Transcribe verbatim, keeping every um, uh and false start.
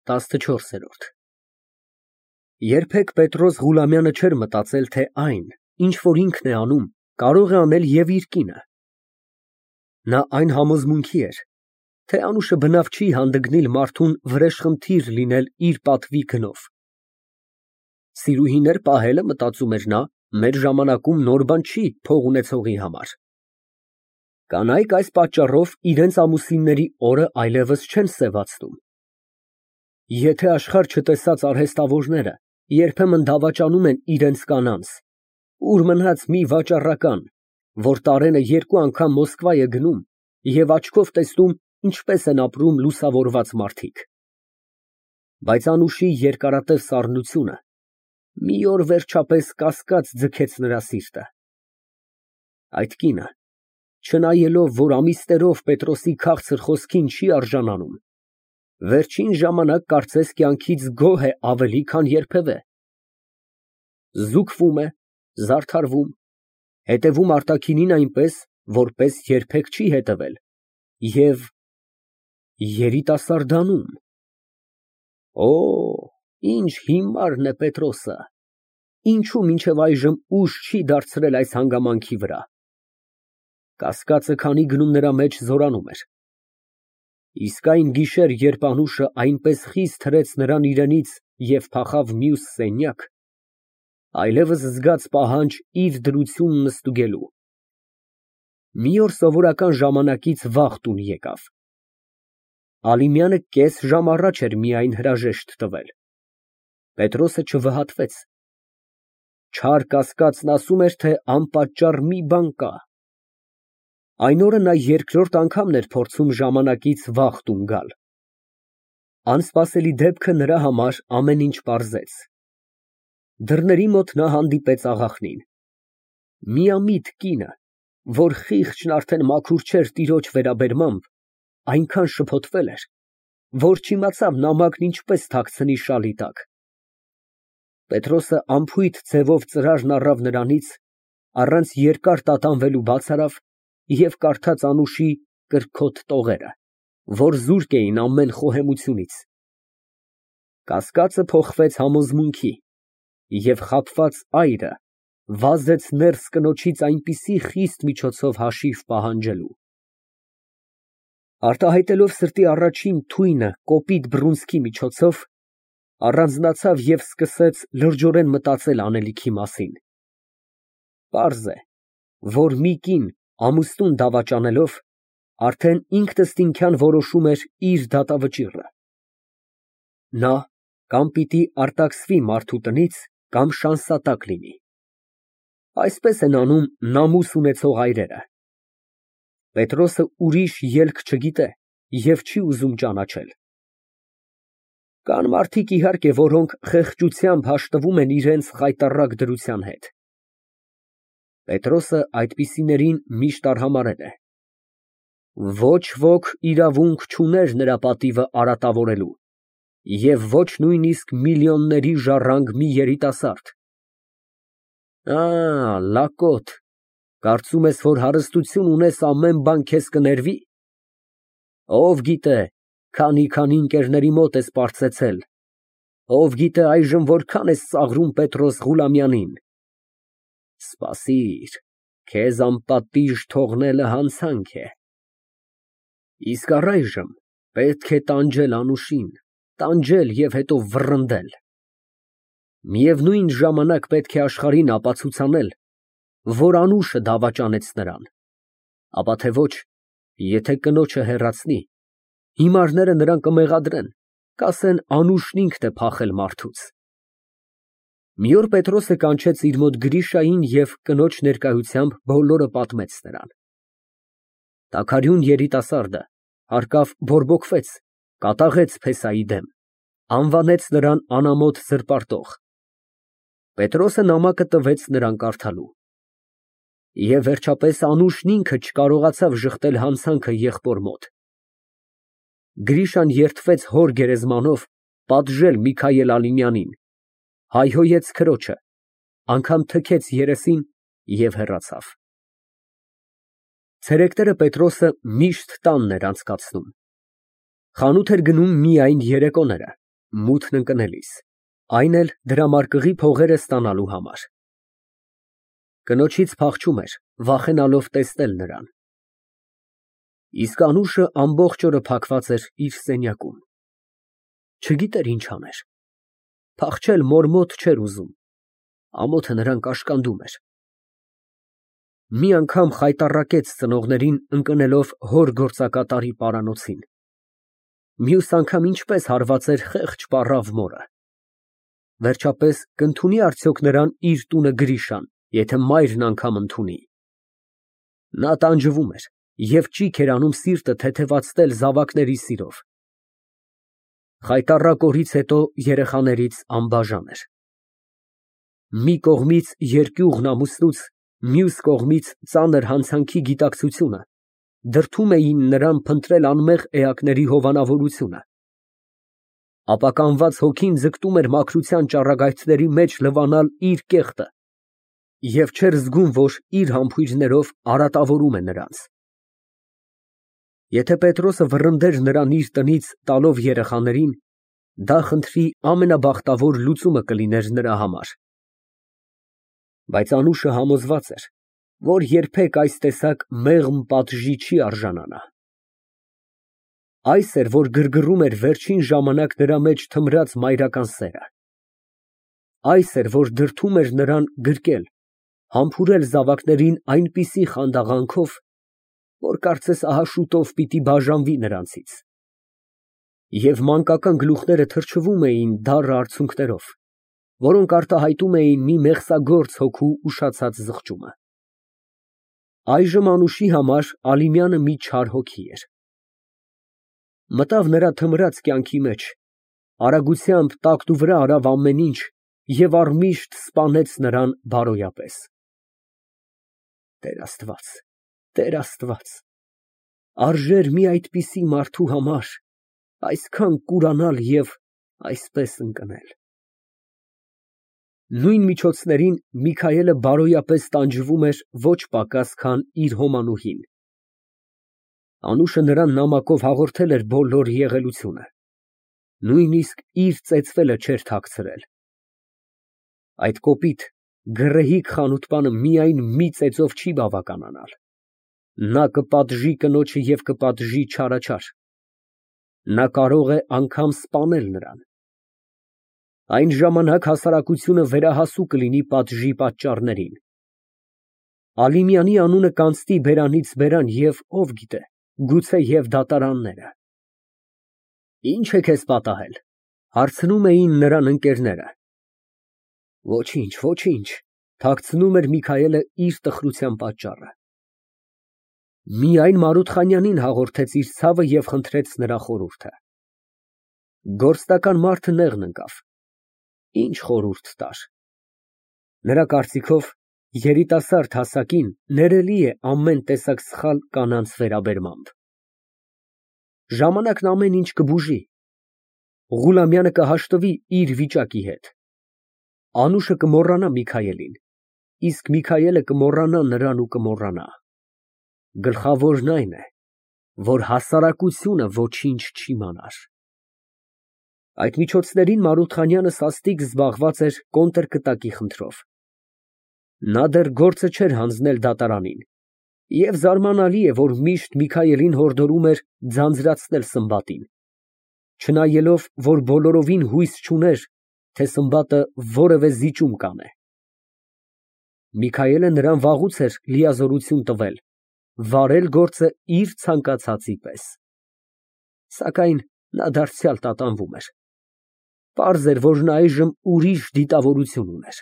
տասնչորս Երբեք ՊետրոսՂուլամյանը չէր մտածել, թե այն, ինչ որ ինքն է անում, կարող է անել և իր կինը. նա այն համոզմունքի էր, թե անուշը բնավ չի հանդգնիլ մարդուն վրեժխնդիր լինել իր պատվի գնով։ Սիրուհիներ պահելը, մտածում էր նա, մեր ժամանակում նոր բան չի փող ունեցողի համար։ Կանայք այս պատճառով իրենց ամուսինների օրը այլևս չեն սևացնում։ Եթե աշխարհ չտեսած արհեստավորները երբեմն դավաճանում են իրենց կանանց, ուր մնաց մի վաճառական, որ տարենը երկու անգամ Մոսկվա է գնում և աչքով տեսնում, ինչպես են ապրում լուսավորված մարդիկ։ Բայց Անուշի երկարատև սառնությունը մի օր վերջապես կասկած ձգեց նրա սիրտը։ Այդ կինը, չնայելով, որ ամիսներով Պետրոսի քաղցր խոսքին չի արժանանում, վերջին ժամանակ կարծես կյանքից գոհ է ավելի, քան երբևէ։ Զուգվում է, զարդարվում, հետևում արտաքինին այնպես, որպես երբեք չի հետևել, և երիտասարդանում։ Օ, ինչ հիմարն է Պետրոսը, ինչու մինչև այժմ ուժ չի դարձրել այս հանգամանքի վրա։ Կասկածը քանի գնում նրա մեջ զորանում էր։ Իսկ այն գիշեր, երբ Անուշը այնպես խիստ հրեց նրան իրենից և փախավ մյուս սենյակ, այլևս զգաց պահանջ իր դրությունն ստուգելու։ Մի օր սովորական ժամանակից վաղ տուն եկավ։ Ալիմյանը կես ժամ առաջ էր միայն հրաժեշտ տվել։ Պետրոսը չվհատվեց։ Չար կասկածն ասում էր, թե անպատճառ մի բան կա։ Այն օրը նա երկրորդ անգամն էր փորձում ժամանակից վաղ տուն գալ։ Անսպասելի դեպքը նրա համար ամեն ինչ պարզեց։ Դռների մոտ նա հանդիպեց աղախնին։ Միամիտ կինը, որ խիղճն արդեն մաքուր չէր տիրոջ վերաբերմամբ, այնքան շփոթվել էր, որ չիմացավ նամակն ինչպես թաքցնի շալի տակ։ Պետրոսը անփույթ ձևով ծրարն առավ նրանից, առանց երկար տատանվելու բաց արավ և կարդաց Անուշի կրքոտ տողերը, որ զուրկ էին ամեն խոհեմությունից։ Կասկածը փոխվեց համոզմունքի, և խաբված այրը վազեց ներս կնոջից այնպիսի խիստ միջոցով հաշիվ պահանջելու։ Արտահայտելով սրտի առաջին թույնը կոպիտ բռունցքի միջոցով, առանձնացավ և սկսեց լրջորեն մտածել անելիքի մասին։ Պարզ է, որ մի կին ամուսնուն դավաճանելով, արդեն ինքնըստինքյան որոշում էր իր դատավճիռը։ Նա կամ պիտի արտաքսվի մարդու տնից, կամ շանսատակ լինի։ Այսպես են անում նամուս ունեցող այրերը։ Պետրոսը ուրիշ ելք չգիտե և չի ուզում ճանաչել։ Կան մարդիկ, իհարկե, որոնք խեղճությամբ հաշտվում են իրենց խայտառակ դրության հետ։ Պետրոսը այդպիսիներին միշտ արհամարհել է։ Ոչ ոք իրավունք չուներ նրա պատիվը արատավորելու, և ոչ նույնիսկ միլիոնների ժառանգ մի երիտասարդ։ Ա, լակոտ, կարծում ես, որ հարստություն ունես, ամեն բան քեզ կներվի։ Ով գիտե, քանի֊քանի ընկերների մոտ ես պարծեցել, ով գիտե այժմ որքան ես ծաղրում ՊետրոսՂուլամյանին։ Սպասիր, քեզ անպատիժ թողնելը հանցանք է։ Իսկ առայժմ պետք է տանջել Անուշին, տանջել և հետո վռնդել։ Միևնույն ժամանակ պետք է աշխարհին ապացուցանել, որ Անուշը դավաճանեց նրան, ապա թե ոչ, եթե կնոջը հեռացնի, հիմարները նրան կմեղադրեն, կասեն Անուշն ինքն է փախել մարդուց։ Մի օր Պետրոսը կանչեց իր մոտ Գրիշային և կնոջ ներկայությամբ բոլորը պատմեց նրան։ Տաքարյուն երիտասարդը հարկավ բորբոքվեց, կատաղեց փեսայի դեմ, անվանեց նրան անամոթ զրպարտող։ Պետրոսը նամակը տվեց նրան կարդալու։ Եվ վերջապես Անուշն ինքը չկարողացավ ժխտել հանցանքը եղբոր մոտ։ Գրիշան երդվեց հոր գերեզմանով պատժել Միքայել Ալիմյանին, հայհոյեց քրոջը, անգամ թքեց երեսին և հեռացավ։ Ցերեկները Պետրոսը միշտ տանն էր անցկացնում։ Խանութ էր գնում միայն երեկոները, Մութն ընկնելիս, այն էլ դրամարկղի փողերը ստանալու համար։ Կնոջից փախչում էր, վախենալով տեսնել նրան։ Իսկ Անուշը ամբողջ օրը փակված էր իր սենյակում։ Չգիտեր ինչ աներ։ Փախչել մոր մոտ չէր ուզում, ամոթը նրան կաշկանդում էր։ Մի անգամ խայտառակեց ծնողներին ընկնելով հոր գործակատարի պարանոցին։ Մյուս անգամ ինչպես հարված էր խեղճ պառավ մորը։ Վերջապես կընդունի արդյոք նրան իր տունը Գրիշան, եթե մայրն անգամ ընդունի։ Նա տանջվում էր և ճիգ էր անում սիրտը թեթևացնել զավակների սիրով։ Խայտառակ օրից հետո երեխաներից անբաժան էր։ Մի կողմից երկյուղն ամուսնուց, մյուս կողմից ծանր հանցանքի գիտակցությունը դրդում էին նրան փնտրել անմեղ էակների հովանավորությունը։ Ապականված հոգին ձգտում էր մաքրության ճառագայթների մեջ լվանալ իր կեղտը և չէր զգում, որ իր համբույրներով արատավորում է նրանց։ Եթե Պետրոսը վռնդեր նրան իր տնից տալով երեխաներին, դա խնդրի ամենաբախտավոր լուծումը կլիներ նրա համար։ Բայց Անուշը համոզված էր, որ երբեք այս տեսակ մեղմ պատժի չի արժանանա։ Այս էր, որ գրգռում էր վերջին ժամանակ նրա մեջ թմրած մայրական սերը։ Այս էր, որ դրդում էր նրան գրկել, համբուրել զավակներին այնպիսի խանդաղանքով, որ կարծես ահա շուտով պիտի բաժանվի նրանցից։ Եվ մանկական գլուխները թրջվում էին դառը արցունքներով, որոնք արտահայտում էին մի մեղսագործ հոգու ուշացած զղջումը։ Այժմ Անուշի համար Ալիմյանը մի չար հոգի էր։ Մտավ նրա թմրած կյանքի մեջ, արագությամբ տակտուվրա արավ ամեն ինչ և առմիշտ սպանեց նրան բարոյապես։ Տեր Աստված, Տեր Աստված, արժեր մի այդպիսի մարդու համար այսքան կուրանալ և այսպես ընկնել։ Նույն միջոցներին Միքայելը բարոյապես տանջվում էր ոչ պակաս, քան իր հոմանուհին։ Անուշը նրան նամակով հաղորդել էր բոլոր եղելությունը, նույնիսկ իր ծեծվելը չէր թաքցրել։ Այդ կոպիտ, գռեհիկ խանութպանը միայն մի ծեծով չի բավականանալ։ Նա կպատժի կնոջը և կպատժի չարաչար։ Նա կարող է անգամ սպանել նրան։ Այն ժամանակ հասարակությունը վերահասու կլինի պատժի պատճառներին։ Ալիմյանի անունը կանցնի բերանից բերան և, ով գիտե, գուցե և դատարանները։ Ի՞նչ է քեզ պատահել, հարցնում էին նրան ընկերները։ Ոչինչ, ոչինչ, թաքցնում էր Միքայելը իր տխրության պատճառը։ Միայն Մարութխանյանին հաղորդեց իր ցավը և խնդրեց նրա խորհուրդը։ Գործնական մարդը նեղն ընկավ։ Ինչ խորհուրդ տար։ Նրա կարծիքով, երիտասարդ հասակին ներելի է ամեն տեսակ սխալ կանանց վերաբերմամբ։ Ժամանակն ամեն ինչ կբուժի։ Ղուլամյանը կհաշտվի իր վիճակի հետ։ Անուշը կմոռանա Միքայելին, իսկ Միքայելը կմոռանա նրան ու կմոռանա։ Գլխավորն այն է, որ հասարակությունը ոչինչ չիմանար։ Այդ միջոցներին Մարութխանյանը սաստիկ զբաղված էր կոնտրկտակի խնդրով։ Նա դեռ գործը չէր հանձնել դատարանին, և զարմանալի է, որ միշտ Միքայելին հորդորում էր ձանձրացնել Սմբատին, չնայելով, որ բոլորովին հույս չուներ, թե Սմբատը որևէ զիջում կանե։ Միքայելը նրան վաղուց էր լիազորություն տվել վարել գործը իր ցանկացածի պես։ Սակայն նա դարձյալ տատանվում էր։ Պարզ էր, որ նա այժմ ուրիշ դիտավորություն ուներ։